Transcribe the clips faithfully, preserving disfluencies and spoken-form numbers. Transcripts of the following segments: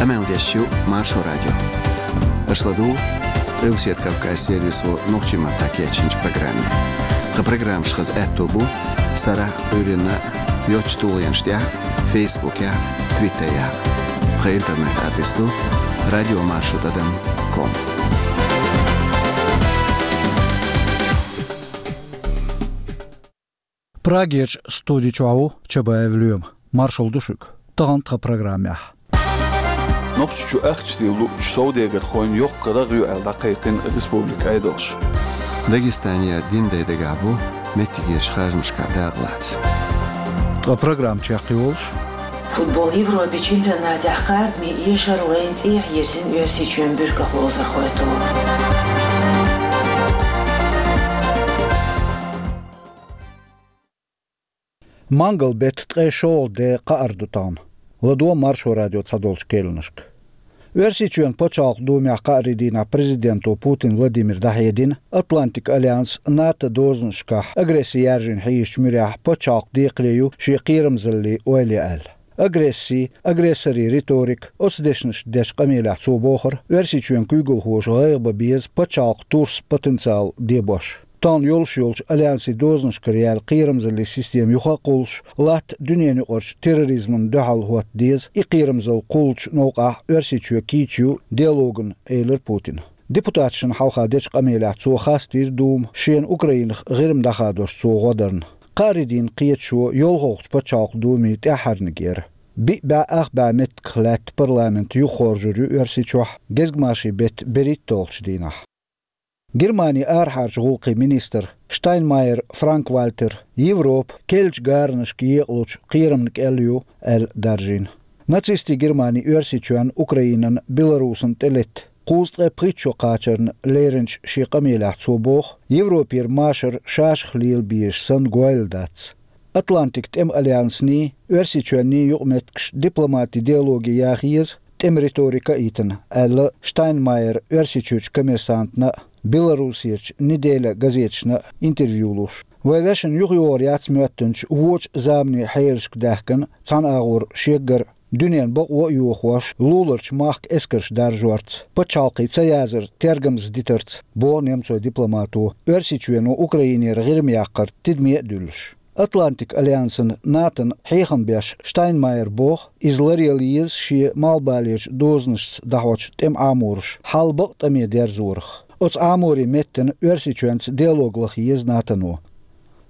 Къамел деш ю Маршо радио. Аша ладугӀу Къилбаседа Кавказан сервисо нохчийн маттахь кечйинчу программе. Тхан программаш хаза аьтто бу сарахь а, Ӏуьйранна а йоцчу тулгӀенаш тӀехь а, Фейсбукехь а, Твиттерехь а. Тхан интернет-адрес ду радиомаршо тӀадам ком. Прагерчу студи чохь ву Чабаев Лоьма. Маршалла ду шуьга. Тахана тхан программехь. Нохчийчу ахча тӀе луучу совдегархойн йоккха рагӀ ю аьлла дӀакхайкхина республикан Ӏедалша. Дагестанера динан дай дагахь бу меттигерчу харжамашкахь дакъа лаца. Тхан программа чекхйолуш. Футбол Европин чемпионатехь кхардаме эшар лайна цӀехьа йирзина Оьрсийчоьнан буьрках ловзархой тӀе. Мангал-беттан ткъе шолгӀа де, кхаара ду тахана. ЛадогӀа Маршо радион цхьадолчу керланашка. Оьрсийчоьнан Пачхьалкхан Думехь кхаарин дийнахь президенто Путин Владимира дӀахьедина, Атлантикан альянс, НАТО дозанашкахь агресси яржийна хьийзачу муьрехь пачхьалкхан декхаре ю шен кхерамзаллин ойла ян аьлла. Агресси, агрессорийн риторика, оцу дешнашца дечу къамелехь цо бохура, Оьрсийчоьнан куьйгалхоша гӀайгӀа бан беза пачхьалкхан турсан потенциал дебош. Тахана йолуш йолчу альянсийн дозанашкара яьлла кхерамзаллин система юха а кхуллуш, латта дуьненан юкъарчу терроризмана дуьхьал хӀотта деза, и кхерамзалла кхуллучу новкъахь Оьрсийчоь кийча ю диалогана, элира Путина. Депутаташна хьалха дечу къамелехь цо хастийра Дума, шена Украинах ГӀирма дӀахадош цо гӀо дарна. Кхаарин дийнан кхеташо йолхалгӀачу Пачхьалкхан Думин тӀаьххьарниг яра. Биъ бӀе ах бӀе меттигах лаьтта парламент юхахоржур ю Оьрсийчохь гезгмашин беттан берхӀитталгӀачу дийнахь. Германин арахьарчу гӀуллакхийн министр Штайнмайер Франк-Вальтера Европа керлачу гаранашка екъалучу кхерамна кӀел ю аьлла даржийна. Нацистийн Германи Оьрсийчоьнна, Украинана, Беларусана тӀелетта кхузткъе пхийтта шо кхачарна леринчу шен къамелехь цо боху, Европера машар шашах лела безаш санна гойла дац. Атлантикан тӀеман альянсний, Оьрсийчоьнний юкъаметтигаш дипломатин диалоге яха еза, тӀеман риторика а йитина, аьлла Штайнмайера Оьрсийчуьрчу Коммерсантана а, Беларусерчу Неделя газеташна а интервью луш. Вайн вешина юхайогӀур яц моьттинчу вочу заманан хьелашка даьхкина цхьана агӀор шеггара дуьненан бакъо а йохош, луларчу махка эскарш даржорца, пачхьалкхе ца язар тергамза дитарца, боху немцойн дипломато, Оьрсийчоьно Украинера ГӀирма яккхар тидаме а дуьллуш. Атлантикан альянсана, НАТОна хьехам беш Штайнмайера боху, иза ларъяла еза шен малхбалерчу дозанашца дӀахьочу тӀеман Ӏамораш хьал бакъ тӀаме дерзорах. Оцу Ӏаморийн меттана Оьрсийчоьнца диалог лаха еза НАТОно.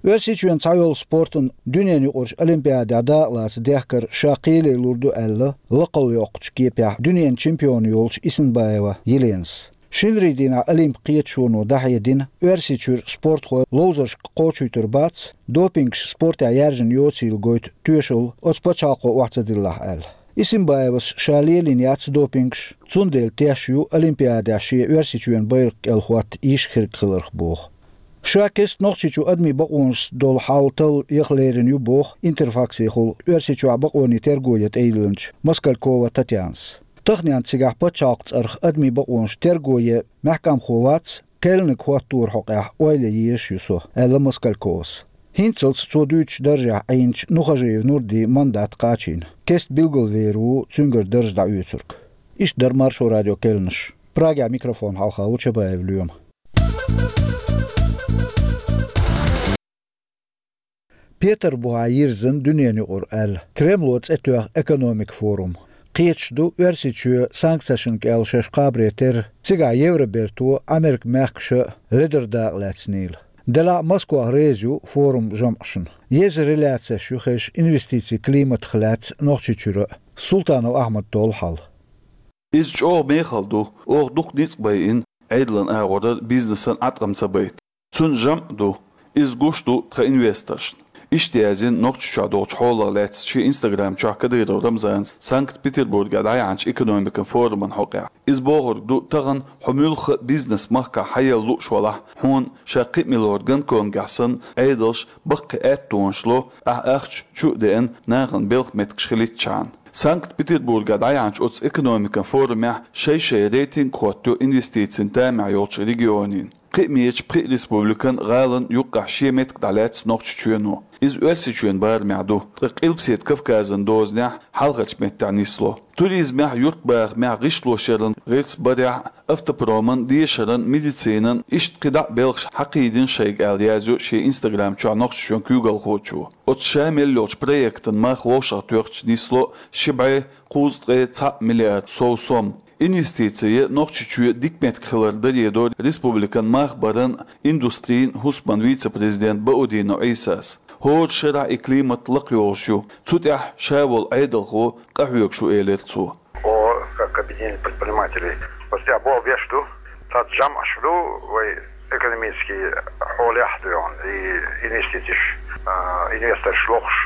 Оьрсийчоьнан цхьайолу спортан дуьненан юкъарчу олимпиадехь дакъалаца дехкар ша кхеле лур ду аьлла, лакхалла йоккхучу кепехь дуьненан чемпион йолчу Исинбаева Еленас. Шинарийн дийнахь Олимпан кхеташоно дӀахьедина, Оьрсийчуьра спортхой ловзаршка кхочуьйтур бац, допингаш спортехь яьржина йоцийла гойту тоьшалла оцу пачхьалкхо охьа ца диллахь аьлла. Исинбаевас ша лелийна яц допингаш, цундела теш ю Олимпиадехь шен Оьрсийчоьнан байракх кӀел хӀотта йиш хирг хиларх боху. Ша кестта Нохчийчу адамийн бакъонашца долу хьал талла яха лерина ю боху Интерфаксехула Оьрсийчохь бакъонийн терго ян тӀейиллинчу Москалькова Татьянас. Таханенна цигахь пачхьалкхан цӀарах адамийн бакъонаш терго ян мехкамхо вац, керланиг хӀотторан хьокъехь ойла ян езаш ю со, аьлла Москальковас. ХӀинццалц цо дуьйцучу даржехь Ӏийначу Нухажиев Нурдин мандат кхачийна. Кестта билгалвер ву цуьнгара дарж дӀаоьцург. Иштта дара Маршо радион керланаш. Прагехь микрофон хьалха ву Чабаев Лоьма. Петарбухехь йирзина дуьненан юкъара аьлла Кремло цӀе тоьхна экономикан форум. Кхеташ ду Оьрсийчоь санкцешна кӀел шаьш кхабаре терра, цигахь Евроберто, Америкин мехкаша ледара дакъа лаьцнийла. Делахь а Москва реза ю форум жамӀашна. Еза реляцеш ю хезаш инвестицийн климатах лаьцна Нохчийчуьра а. Султанов Ахьмада долу хьал. Иза чӀогӀа мехала ду, оха дукха ницкъ байина Ӏедалан агӀорара, бизнесан Ӏаткъам ца байта. Цуьнан жамӀ а ду, иза гуш ду тхан инвесторшна. Иштта яздина Нохчийчохь долчу хьолах лаьцна шен Instagram чохь Кадыров Рамзана Санкт-Петербургехь дӀаяьхьначу экономикан форуман хьокъехь. Иза бохург ду, тахана хьо муьлхха а бизнес махкахь хьаелла лууш валахь, хьуна ша кхин а миллион Гонконгехь санна Ӏедалша баккхий аьттонаш ло, ахь ахча чу а деана, нахана белхан меттигаш хилийтчхьана. Санкт-Петербургехь дӀаяьхьначу оцу экономикан форумехь шай-шай рейтинг а хӀоттайо инвестицийн тамехь йолчу регионийн. Кхиамеча пхи республикан, гӀалан юккъехь шен меттиг дӀалаьцна Нохчийчоьно. Иза Оьрсийчоьнан барамехь ду, ткъа Къилбаседа Кавказан дозанехь хьалхарчу меттехь нисло. Туризмехь, юьртбахамехь, гӀишлошъяран гӀирс барехь, автопроман, дешаран, медицинан, иштта кхидӀа а белхаш хьакхийдина шайга аьлла, язйо шен Instagram чохь Нохчийчоьнан куьйгалхочо. Оцу ша мел йолчу проектан мах вовшахтоьхча нисло ши бӀе кхузткъе цхьаъ миллиард сов сом. Инвестици Нохчийчоь дика меттиг хилар даре дора республикан мах баран, индустрин, хӀусаман вице-президент Баудинов Ӏийсас. ХӀора шарахь и климат лакхайогӀуш ю. Цу тӀехь ша волу Ӏедалхо къахьоьгуш ву, элира цо. О, как объединение предпринимателей. Оцу тӀехь болх беш ду, цхьацца жамӀаш ду вай экономический хьолехь а дуьйна, и инвестицеш, а, инвесторш лохуш,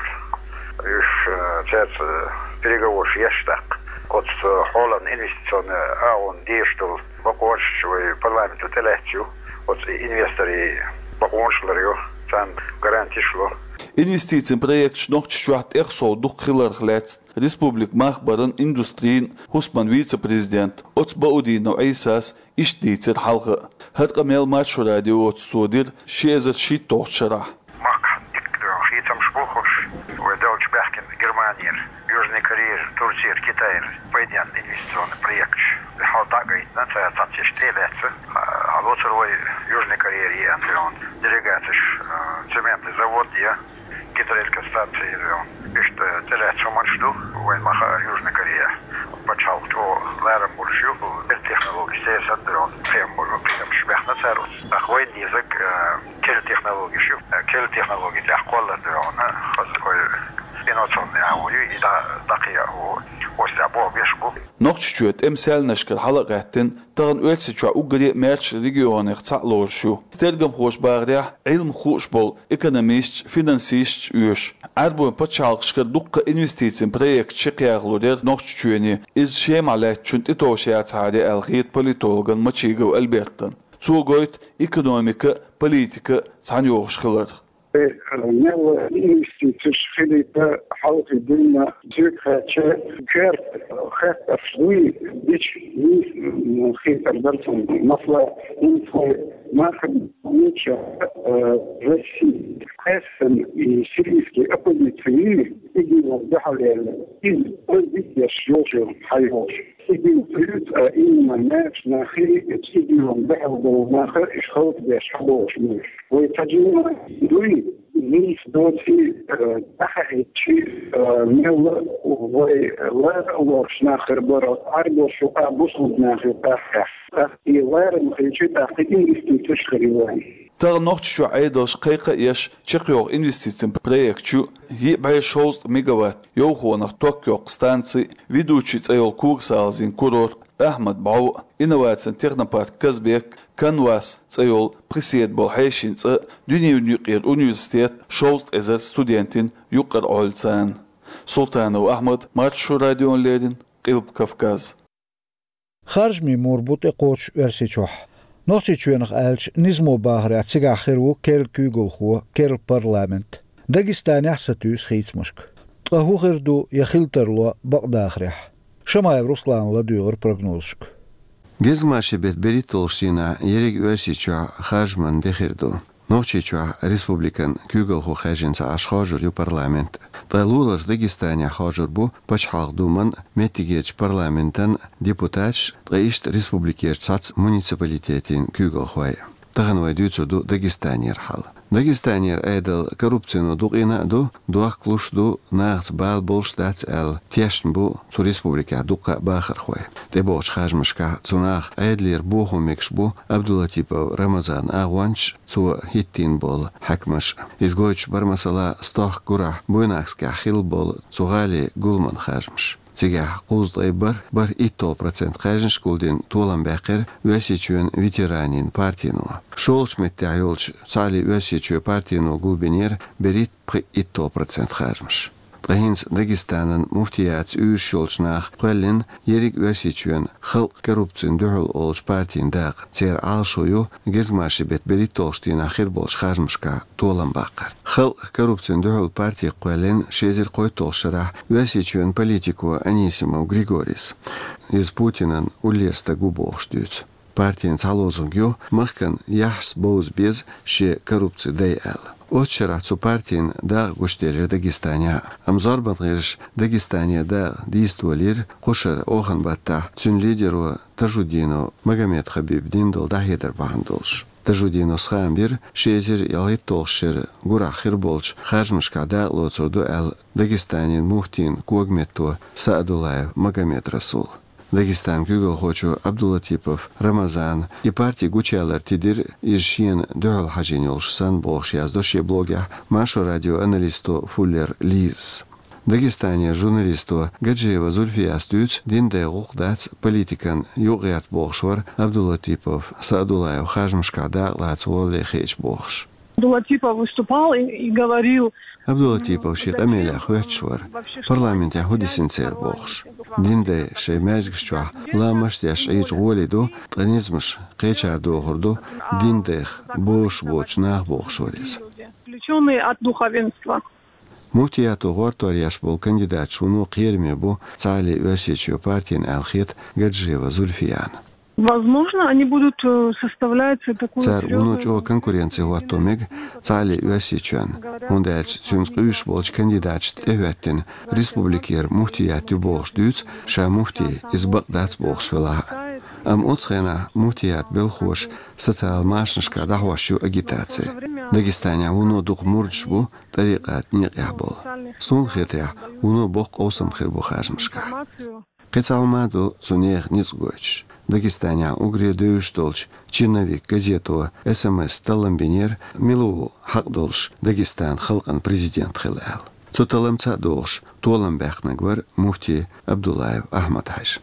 уьш, а, цаьрца переговорш еш тӀаккха. Оцу хьолан инвестиционный агӀон дезаш долу бакъонаш вай парламенто тӀелаьцна ю, оцу инвесторийн бакъонаш ларйо, царна гарантиш ло. Инвестицийн проекташ Нохчийчохь тӀех сов дукха хиларх лаьцна республика мах баран, индустрин, хӀусаман вице-президент оцу Баудинов Ӏийсас иштта дийцира хьалха а. ХӀара къамел Маршо радиоца цо дира ши эзар шийтталгӀачу шарахь. Махкахь дика хийцамаш бу хӀорш, вай деллачу баьхкина Германера, Южный Корейра, Турцера, Китайра пайденна инвестиционный проекташ. Хьал дӀа а гайтина, цара цхьацца иштта тӀе а лаьцна, хьалоцур вай Южный Корейра еана делегацеш, а, цементный завод я, гидроэлектростанция я. Иштта тӀелаьцна хӀуманаш ду, вайн ма-хаара, Южный Корея пачхьалкх чӀогӀа ларам болуш ю, керла технологиш церан санна, дуьйна, кхиам болу, кхиамаш баьхна цара оцу. ТӀаккха вайн дезарг, э, керла технологиш ю, э, керла технологи тӀехь кхоллар, дуьйна, хаза вай инновационный агӀо ю, и дӀа-, дӀакхайкха оцу тӀехь болх беш бу. Нохчийчоь тӀеман саьлнашкара хьала а гӀаьттина, тахана Оьрсийчохь уггаре а маьрша регионех цхьаъ лоруш ю. Тергамхоша бахарехь, Ӏилма хууш болу экономисташ, финансисташ оьшу. Ӏаьрбойн пачхьалкхашкара дуккха инвестицийн проекташ чекхъяхалур яра Нохчийчоьне, иза Шемахь лаьттачунна тӀетовш яцахьара аьлла хета политологна Мачигов Альбертна. Цо гойту экономика а, политика а цхьаьна йогӀуш хилар. Э, мел инвестицеш хилийта хьалхе дина, цуьнга хаьттича, коьрта хаттарш дуй, дича, м, хетар дара цунна. Масала, хӀинца вай махкахь, э, Россия, кхаьссина и сирийский оппозиция, ИГИЛ-ан дуьхьал яьлла, иза оьзда деш йолчу хьайолуш. ИГИЛ ца юьйцу, а имма маьрша нахе, ИГИЛ-ан дуьхьал болу нах, уьш хӀаллакдеш хьаболуш муьлш. Вай ца жимма дуй, нийса доций, э, дӀахаийча, э, мелла вай лара а лоруш нах хир бара, Ӏаьрбош юкъа, бусулба нах юкъа хьаьхна. ТӀаккха и ларам хилча, тӀаккха инвестицеш хир ю вайн. Тахана Нохчийчохь Ӏедалша кхайкха а еш чекхйоху инвестицийн проекташ ю: йиъ бӀе шовзткъа мегаватт йовхонах ток йоккху станци, Ведучи цӀе йолу когасалазийн курорт, Ахьмад-бӀов, инновацийн технопарк Казбек, Канвас цӀе йолу пхи седа болу хьешийн цӀа, дуьненан юкъара университет, шовзткъа эзар студентийн юкъара Ӏоьллу царна. Султанов Ахьмад, Маршо радиона леррина, Къилба Кавказ. Харжамийн мур бу тӀекхочуш Оьрсийчохь. Нохчийчоьнах аьлча, низамо бахарехь, цигахь хир ву керла куьйгалхо, керла парламент. Дагестанехь а сатуьйсу хийцамашка. Ткъа хӀун хир ду я хила тарло бакъдахарехь? Шамаев Руслана ладуьйгӀира прогнозашка. Гезгмашин беттан берхӀитталгӀачу дийнахь ерриг Оьрсийчохь харжаман де хир ду. Нохчийчохь республикан куьйгалхо хаьржина ца Ӏаш хоржур ю парламент. Ткъа луларчу Дагестанехь хоржур бу Пачхьалкхан Думан, меттигерчу парламентан депутаташ, ткъа иштта республикерчу цхьацца муниципалитетийн куьйгалхой. Тахана вай дуьйцур ду Дагестанера хьал. Дагестанера Ӏедал коррупцино дукъийна а ду, дохкалуш а ду, нахаца бала болуш а дац аьлла, тешна бу цу республикехь дуккха а бахархой. ТӀебогӀучу харжамашкахь цу наха Ӏедалера бохо мегаш бу Абдулатипов Рамазанан агӀончаш, цо хӀиттийна болу хьаькамаш. Иза гойтуш бара, масала, стохка гурахь Буйнакскехь хилла болу цу гӀалин гуламан харжамаш. Цигахь кхузткъе бархӀ, бархӀ итталгӀа процент кхаьжнаш гулдина толам баьккхира Оьрсийчоьнан ветеранийн партино. ШолгӀачу меттехь йолчу Цхьааллин Оьрсийчоь партино гулбинера берхӀитта пхиъ итталгӀа процент харжамаш. Ткъа хӀинца Дагестанан муфтиятца уьйраш йолчу наха кхоьллина ерриг Оьрсийчоьнан «Халкъ коррупцина дуьхьал» олучу партин дакъа. Церан Ӏалашо ю гезгмашин беттан берхӀитталгӀачу дийнахь хир болчу харжамашкахь толам баккхар. «Халкъ коррупцина дуьхьал» парти кхоьллина ши эзар кхойтталгӀачу шарахь Оьрсийчоьнан политико Анисимов Григорис. Иза Путинан уллера стаг ву бохуш дуьйцу. Партин цхьа лозунг ю: «Махкан яхьаш бовза беза шен коррупци дай», аьлла. Оццу шарахь цу партин дакъа гучаделира Дагестане. Амма зорбан гӀирсаша Дагестане дакъа дийца долийра кху шарахь охан баттахь цуьнан лидеро Тажудинов Магомедхабиба дина долу дӀахьедар бахьана долуш. Тажудиновс хаам бира ши эзар ялхитталгӀачу шеран гурахь хир болчу харжамашкахь дакъа лоцур ду аьлла Дагестанан муфтин когаметто Саадуллаев Магомедрасула. Дагестанан куьйгалхочо Абдулатипов Рамазана и парти гучуялар тидира иза шена дуьхьал хьажийна йолуш санна бохуш яздо шен блогехь Маршо радион аналисто Фуллер Лизас. Дагестанера журналисто Гаджиева Зульфияс дуьйцу, динан дай гӀуллакх дац политикан юкъагӀерта бохуш вара Абдулатипов Саадуллаев харжамашкахь дакъа лаца волле хиъча бохуш. Абдулатипов выступал и, и говорил. Абдулатипов шен къамелехь хоьттуш вара, парламентехь хӀун дисина церан бохуш. Динан дай шайн маьждигаш чохь ламазаш деш Ӏийча гӀоле ду, ткъа низамаш кхечара дохур ду, динан дайх бозуш боцчу наха бохуш вара иза. Отвлечённые от духовенства. Муфтиято гӀортор еш болу кандидаташ вуно кхераме бу Цхьаалле Оьрсийчоь партина аьлла хета Гаджиева Зульфияна. Возможно, они будут, э, составлять такую серьёзную... Цара вуно чӀогӀа конкуренци хӀотто мега Цхьаалле Оьрсийчоьнна, хӀунда аьлча цуьнца къуьйсуш болчу кандидаташна тӀехӀоьттина республикера муфтият ю бохуш дуьйцу, ша муфти иза бакъ дац бохуш велахь а. Амма оцу хенахь муфтият белхоша социал машанашкахь дӀахьош ю агитаци. Дагестанехь вуно дукха мурдаш бу тӀарикъат некъехь болу. Суна хетарехь, вуно боккха къовсам хир бу харжамашкахь. Кхин цхьа хӀума ду цу нехан ницкъ гойтуш. Дагестанехь уггаре девзаш долчу «Черновик» газето эс эм эс таллам бинера, мила ву хьакъ долуш Дагестанан халкъан президент хила аьлла. Цу талламца а догӀуш, толам баьккхинарг вара муфти Абдуллаев Ахьмад-Хьаьжа.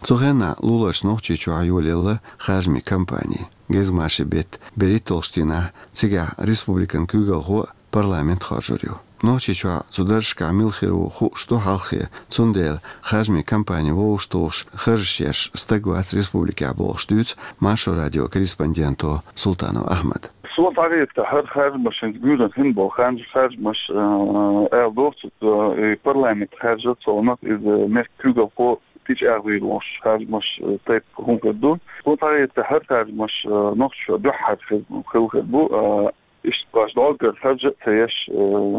Цу хенахь луларчу Нохчийчохь йолаелла харжамийн кампани. Гезгмашин беттан берхӀитталгӀачу дийнахь цигахь республикан куьйгалхо а, парламент а хоржур ю. Нохчийчохь цу даржашкахь мила хир ву хууш ду хьалххе, цундела харжамийн кампани вовшахтухуш харжаш еш стаг вац республикехь бохуш дуьйцу Маршо радион корреспонденто Султанов Ахьмада. Суна тӀаьхьа хӀара харжамашна гуьйрана хин болу харж-, харжамаш, э, аьлла доху цо, э, и парламент харжа цунах иза мехкан куьйгалхо тӀечӀагӀвийр волуш харжамаш, э, тайпа хӀума хир ду. Суна тӀаьхьа хӀара харжамаш, э, Нохчийчохь дуьххьара хир, хилла хир бу, э, Иштта баш доггар харжа а ца еш, э,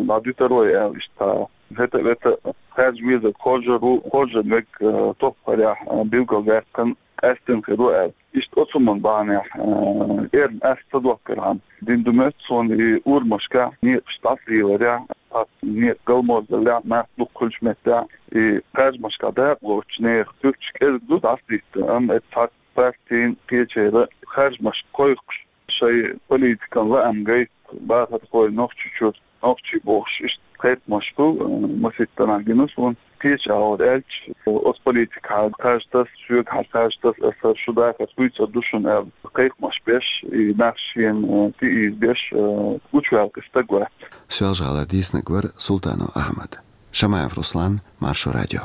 дӀа дуьтур вай аьлла, иштта хӀета а вета харжа везарг хоржур ву, хоржун верг, э, топ парехь, э, билгалваьккхина къаьстина хир ву аьлла. Иштта оцу хӀуманна бахьанехь, э, эрна ас ца доккхархьама, дина ду моьтту суна и урамашкахь некъаш дӀасалеларехь, цхьацца некъ галморзаллехь, нах дукха хуьлучу меттехь, и харжамашкахь дакъа лоцучу нехан туьпаш кӀезиг ду дӀасадитта, амма эцу цхьацца партийн кхечеран харжамаш кхойкхуш, шайн политикан лаам гайта бахархой Нохчийчуьра, нохчий бохуш, иштта кхайкхамаш бу, э, масийтта нах гина суна. Кхечахьара аьлча, оцу политикехь хьажа таса, соьгахьара хьажа таса, аса шу дахар хуьйцур ду шуна аьлла, кхайкхамаш беш, и нах шена, э, тӀеийзабеш, э, гучуваьккхина стаг вац. Соьлжа-ГӀалара дийцинарг вара Султанов Ахьмад. Шамаев Руслан, Маршо радио.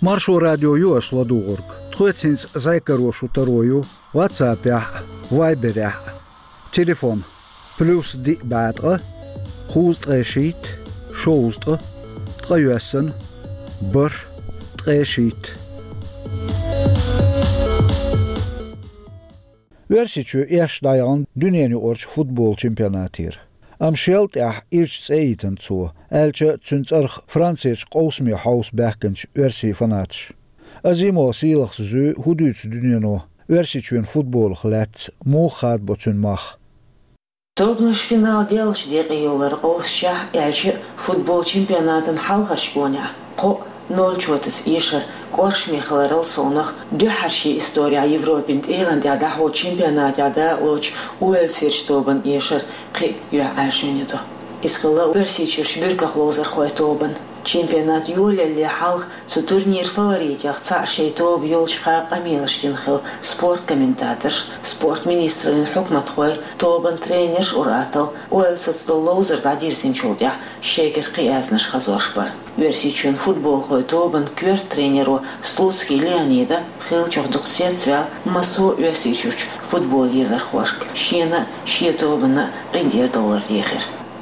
Маршо радио ю аша ладугӀург. Тхоьца хӀинца зӀе каро шун таро ю WhatsApp-ехь а, Viber-ехь а. Телефон: плюс диъ бӀе ткъа, кхузткъе шийтта, шовзткъа, ткъайоьсна, бархӀ, ткъе шийтта. Оьрсийчоь эшна дӀаяхана дуьненаюкъарчу футбол чемпионатера. Амма шел тӀаьхьа ирча цӀе йитина цо, аьлча а цуьнан цӀарах Францерчу къовсаме хьовса баьхкинчу оьрсийн фанаташа. Азимова Сийлахьас зуьй, хӀун дуьйцу дуьнено Оьрсийчоьнан футболах лаьцна, муха хадабо цуьнан мах. Тобанаш финал деллачу декъе йоллар къовсучехь, аьлча а футбол чемпионатан хьалхарчу гонехь кхоъ ноль чотаца эшар кӀоршаме хиларал совнах, дуьххьара шен исторехь Европин тӀегӀан тӀехь дӀахьочу чемпионатехь дакъалоцучу Уэльсерчу тобанан эшар кхин а юьхьӀаьржойн ю ду. Иза хилла Оьрсийчуьрчу буьрках ловзархойн тобанан. Чемпионат йолаялале хьалха цу турниран фаворитех цхьаъ шайн тоба йолчу хаа къамелаш дина хилла спорт комментаторш, спорт министраллин хьукматхой, тобанан тренерш, ур-атталла Уэльсаца долу ловзар дӀадирзинчул тӀаьхьа шайгара кхин аьзнаш хазош бара. Оьрсийчоьнан футболхойн тобанан коьрта тренеро Слуцкий Леонида хиллачух дукха цецваьлла массо а Оьрсийчуьрчу футбол езархошка, шена а, шен тобанна а къинтӀера довлар дехира.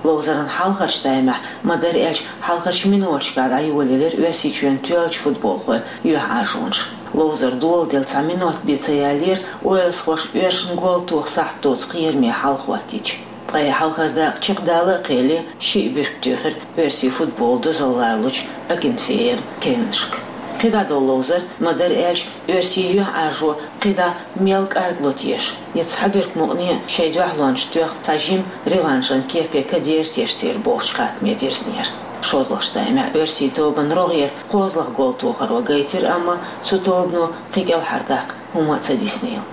Ловзаран хьалхарча таймехь, ма-дарра аьлча, хьалхарча миноташкахь дӀайолаелира Оьрсийчоьнан тоьллачу футболхойн юьхьӀаьржонаш. Ловзар доладелла цхьа минот бен ца яьллера уэльсхоша оьрсашна гол тоха сахьт доцу кхераме хьал хӀоттийча. Ткъа и хьалхара дакъа чекхдала а кхелле, шиъ буьрка туьйхира оьрсийн футболан дозалла лоручу Акинфеевн кевнашка. КхидӀа долу ловзар, ма-дарра аьлча, оьрсийн юьхьӀаьржо кхидӀа мел кӀаргло теша, я цхьа буьрка мукъане шайн дуьхьалонаш тоьхна цхьа жима реваншан кепе кадера теша церан бохучу хаттаме дирзинера. ШозлагӀчу таймехь оьрсийн тобанан рогӀера кхозлагӀа гол тохаро гайтира, амма цу тобано кхин кӀелхьардаккха хӀума а ца диснийла.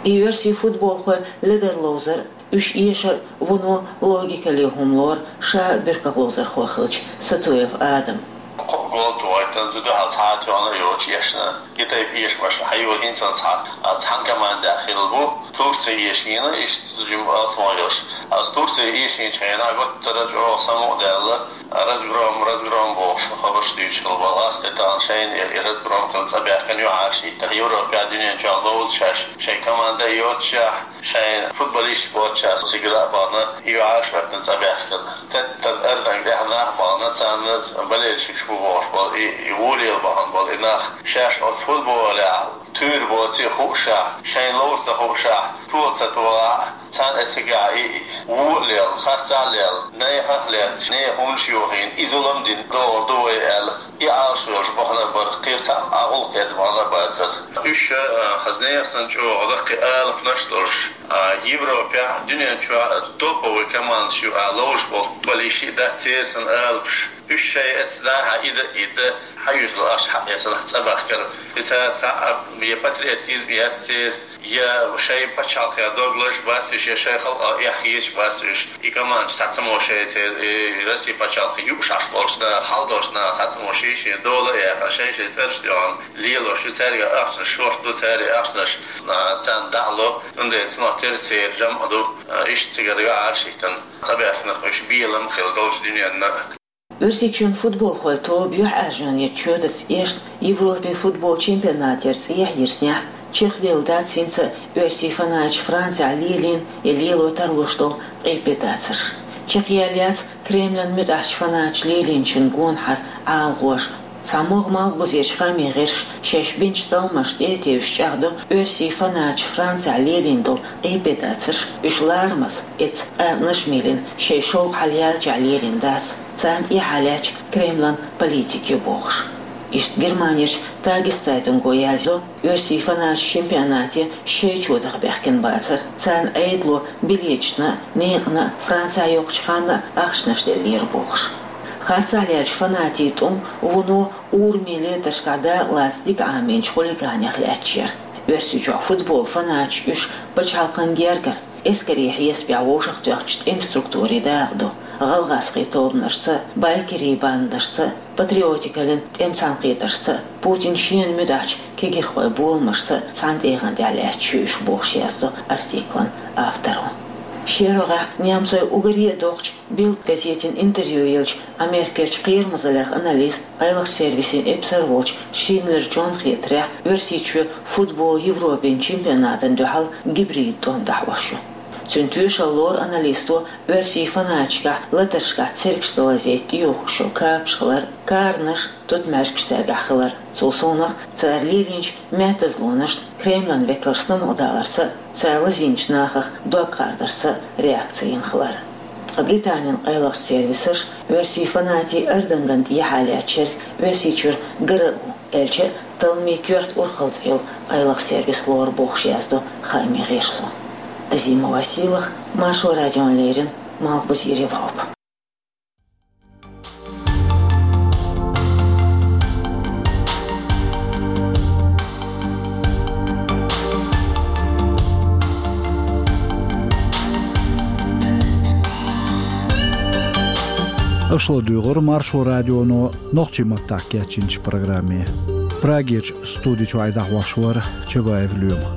И оьрсийн футболхой ледара ловзар, уьш эшар вуно логикале хӀума лору ша буьркалгӀа ловзархо хилча Сатуев Адам. Кхо гол тохийтина, зуда хьал цхьа а тоьхна йоцуш эшна. И тайпа эшамаш хьайола хӀинца цхьа, а, цхьана командехь хилла бу. Турция эшийна, иштта жима алсам йолуш. Аса Турция эшийначу хенахь гуттара а чӀогӀа самукъадаьлла, разгром, разгром бохуш хабарш дуьйцуш хилла болу. Аса тӀе тахана шайна и, и разгром хилла цӀа баьхкина юьхьӀаьржа хӀиттина. Европехь, дуьнен чохь ловза шаьш, шайн команда а йоццушехь, шайн футболисташ боццушехь, цига а бахана, и юьхьӀаьржа хӀоьттина цӀа баьхкина. Теттан арданга тӀехь нах бахана, царна болельщикаш бу бохуш болу, и, и вон лела бахана болу и нах. Шаьш оцу футболехь туьйра боций а хуушехь, шайна ловза ца хуушехь, тола ца тохахь, царна и цигахь и вон а лела, харцахь а лела, нехан а лаьтташ, нехан хӀуманаш йохийна, и зулам дина догӀур ду вай аьлла, и Ӏалашвелларш бахана а бара, кхин цхьа а гӀуллакх эца бахана а бацара. Уьш, а, хаза нехан санна чӀогӀа даккхий алапанаш а долуш, а, Европехь, дуьнен чохь топовый командаш ю аьлла ловзуш болу футболисташ а дац церан санна алапаш. Уьш шайн эцна дӀа-хьа и дан, и дан, хьаюьззина ахча хьаэцна цӀа баьхкира. И цара цхьа а я патриотизм яц церан, я шайн пачхьалкхе дог лазаш бац уьш, я шайн халкъах эхь хеташ бац уьш. И командаш схьа ца мо шайн церан, и Россин пачхьалкх юуш Ӏаш болчу наха, хьал долчу наха схьа ца мо шен-шен дола а яьккхина, шайн-шайн цӀераш а тӀехь лелош ю, цаьрга ахчанаш шорта ду, цаьрга ахчанаш, а, царна дӀа а ло, цундела цунах тера церан жамӀ а ду, а, иштта цигара юьхьӀаьржа хӀиттина. Цхьаберш нах уьш белам а хилла долчу дуьненна. Оьрсийчоьнан футболхойн тоба юьхьӀаьржонан чоьтаца эшна Европин футбол чемпионатера цӀехьа йирзинехь, чекхделла дац хӀинца а оьрсийн фанаташа Францехь лелийна я лело тарлуш долу къепедацарш. Чекхъяьлла яц Кремлан муьтӀахьчу фанаташа лелийначун гонахьара Ӏалашонаш. Цхьа могӀа Малхбузерчу хаамийн гӀирсаша шаьш бинчу талламашна тӀе а тевжаш чӀагӀдо, оьрсийн фанаташа Францехь лелийна долу къепедацарш, уьш ларамаза, эцна къаьркъанаш а мелийна, шайн шовкъ хьалаяьллачохь лелийна дац, царна тӀехьа лаьтташ Кремлан политика ю бохуш. Иштта Германерчу Тагесцайтунго яздо, оьрсийн фанаташ чемпионате шайн чотах баьхкина бацара, царна Ӏедало билеташна а, некъана а, Францехь йоккхучу ханна а ахчанаш деллера бохуш. Харцахь леллачу фанатийн тӀум вуно урамийн летаршкахь дакъалаца дика Ӏамийначу хулиганех лаьтташ яра. Оьрсийчохь футбол фанаташ уьш пачхьалкхан гергара, эскарийн хьесапехь вовшахтоьхначу тӀеман структурийн дакъа ду, гӀалгӀазкхийн тобанашца а, байкерийн бандашца а, патриотикаллин тӀеман цхьаьнакхетаршца а, Путинан шена муьтӀахьчу кегирхойн боламашца а цхьана тӀегӀан тӀехь лаьтташ ю уьш бохуш яздо артиклан авторо. Шен рогӀехь немцойн уггаре а доккхачу Билд газетина интервью еллачу Америкерчу кхерамазаллех аналист, къайлахчу сервисийн эпсар волчу Шиндлер Джонна хетарехь, Оьрсийчоь футбол Европин чемпионатана дуьхьал гибрид тӀом дӀахьош ю. Цуьнан тоьшалла лору аналисто оьрсийн фанаташкахь латаршкахь цергашца лазийта тӀеюхкуш йолу капаш хилар, каранаш, тутмаьжгаш цаьргахь хилар. Цул совнаха цара лелийначу маьттазлонашна Кремлан векалш самукъадаларца а, цара лазийначу нахах дог кхардарца а реакци йина хилар. Ткъа Британин къайлахчу сервисаша оьрсийн фанатийн ардангана тӀехьа лаьттачу ерг Оьрсийчуьра гара а ву, аьлча а талламийн коьрта урхалла цӀе йолу къайлаха сервис лору бохуш яздо хаамийн гӀирсо. Азима Василах, Маршо радиона леррина, Малхбузера Европа. Аша ладуьйгӀура Маршо радионо нохчийн маттахь кечйинчу программе. Прагерчу студи чуьра дӀахьош вара Чабаев Лоьма.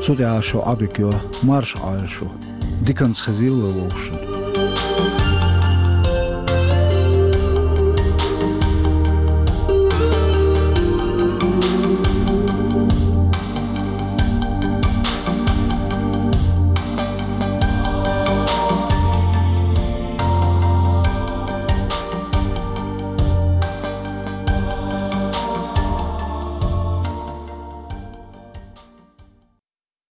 Цу тӀехь шун Ӏодика йо, марша Ӏойла шу. Диканца хезийла вовшашна.